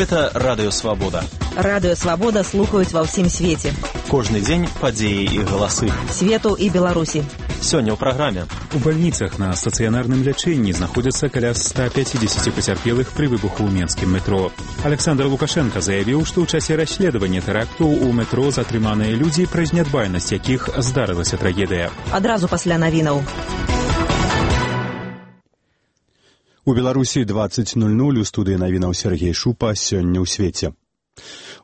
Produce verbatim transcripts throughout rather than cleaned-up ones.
Гэта Радыё Свабода. Радыё Свабода слухаюць ва ўсім свеце. Кожны дзень падзеі і галасы. Свету і Беларусі. Сёння ў праграме. У бальніцах на стацыянарным лячэнні знаходзяцца каля ста пяцідзесяці пацярпелых пры выбуху ў менскім метро. Александр Лукашенко заявіў, што ў часе расследавання тэракту ў метро затрыманыя людзі, праз нядбайнасць якіх здарылася трагедыя. Адразу пасля навінаў. У Беларусі дваццаць нуль нуль, у студыі навінаў Сергей Шупа, сёння ў свеце.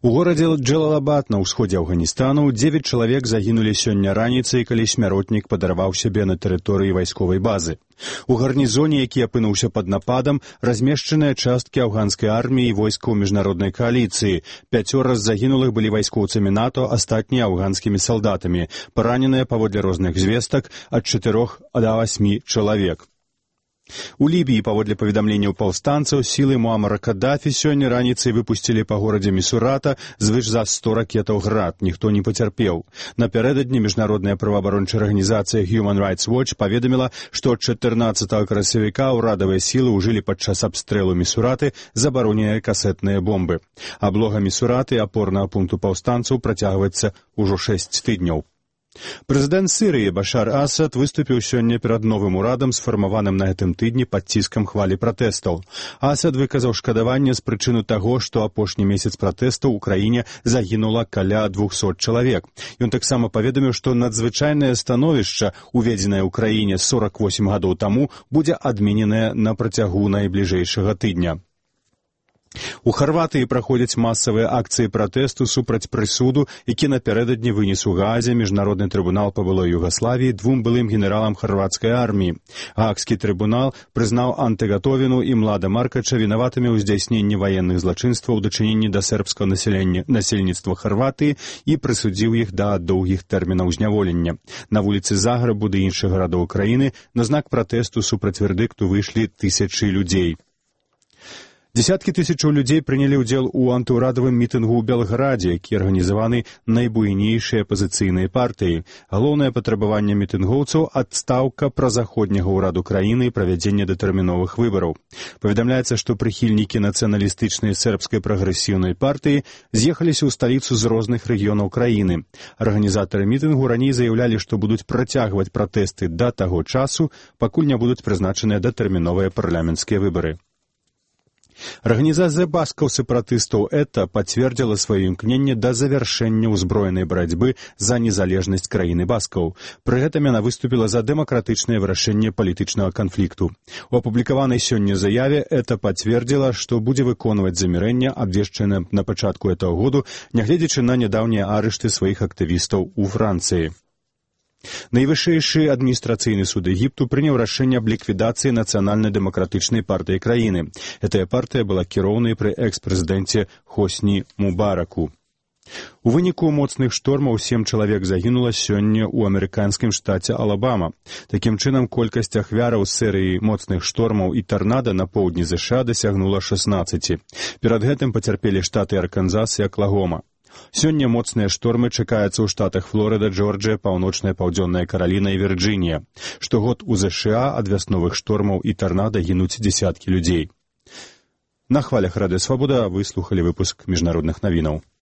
У горадзе Джалалабад на ўсходзе Афганістану дзевяць чалавек загінулі сёння раніцай, калі смяротнік падарваў сябе на тэрыторыі вайсковай базы. У гарнізоне, які апынуўся пад нападам, размешчаныя часткі афганскай арміі і войскаў міжнароднай кааліцыі. Пяцёра з загінулых былі вайскоўцамі НАТО, астатнія афганскімі салдатамі. Параненыя, паводле розных звестак, ад чатырох да васьмі чалавек. У Лібіі, паводле паведамленняў паўстанцаў, сілы Муамара Каддафі сёння раніцай выпусцілі па горадзе Місурата звыш за сто ракетаў «Град». Ніхто не пацярпеў. Напярэдадні міжнародная праваабарончая арганізацыя Human Rights Watch паведаміла, што чатырнаццатага красавіка ўрадавыя сілы ўжылі падчас абстрэлу Місураты забароненыя касетныя бомбы. Аблога Місураты, апорнага пункту паўстанцаў, працягваецца ўжо шэсць тыдняў. Прэзідэнт Сірыі Башар Асад выступіў сёння перад новым урадам, сфармаваным на гэтым тыдні пад ціскам хвалі пратэстаў. Асад выказаў шкадаванне з прычыны таго, што апошні месяц пратэстаў у краіне загінула каля двухсот чалавек. Ён таксама паведаміў, што надзвычайнае становішча, уведзенае ў краіне сорак восем гадоў таму, будзе адмененае на працягу найбліжэйшага тыдня. У Харватыі праходзяць масавыя акцыі пратэсту супраць прысуду, які напярэдадні вынес у Гаазе міжнародны трыбунал па былой Югаславіі двум былым генералам харвацкай арміі. Гаагскі трыбунал прызнаў Антэгатовіну і Млада Маркача вінаватымі ў здзяйсненні ваенных злачынстваў у дачыненні да сербскага насельніцтва Харватыі і прысудзіў іх да доўгіх тэрмінаў зняволення. На вуліцы Загрэбу ды іншых гарадоў краіны на знак пратэсту супраць вердыкту выйшлі тысячы людзей. Десяткі тысячаў людзей прынялі ўдзел у антыўрадавым мітынгу ў Белградзе, які арганізаваны найбуйнейшыя апазіцыйныя партыі. Галоўнае патрабаванне мітынгоўцаў – адстаўка празаходняга ўраду краіны і правядзенне датэрміновых выбараў. Паведамляецца, што прыхільнікі нацыяналістычнай сербскай прагрэсіўнай партыі з'ехаліся ў сталіцу з розных рэгіёнаў краіны. Арганізатары мітынгу раней заяўлялі, што будуць працягваць пратэсты да таго часу, пакуль не будуць прызначаныя датэрміновыя парламенцкія выбары. Арганізацыя баскаў-сепаратыстаў ЭТА пацвердзіла сваё імкненне да завяршэння ўзброенай барацьбы за незалежнасць краіны баскаў. Пры гэтым яна выступіла за дэмакратычнае вырашэнне палітычнага канфлікту. У апублікаванай сёння заяве ЭТА пацвердзіла, што будзе выконваць замірэнне, абвешчанае на пачатку гэтага году, нягледзячы на нядаўнія арышты сваіх актывістаў у Францыі. Найвышэйшы адміністрацыйны суд Егіпту прыняў рашэнне аб ліквідацыі нацыянальна-дэмакратычнай партыі краіны. Гэтая партыя была кіроўнай пры экс-прэзідэнце Хосні Мубараку. У выніку моцных штормаў сем чалавек загінула сёння ў амерыканскім штаце Алабама. Такім чынам, колькасць ахвяраў серыі моцных штормаў і тарнада на поўдні ЗША дасягнула шаснаццаці. Перад гэтым пацярпелі штаты Арканзас і Аклагома. Сёння моцныя штормы чакаюцца ў штатах Флорыда, Джорджыя, паўночная паўдзённая Караліна і Вірджынія. Штогод у ЗША ад вясновых штормаў і тарнада гінуць дзесяткі людзей. На хвалях Радыё Свабода вы слухалі выпуск міжнародных навінаў.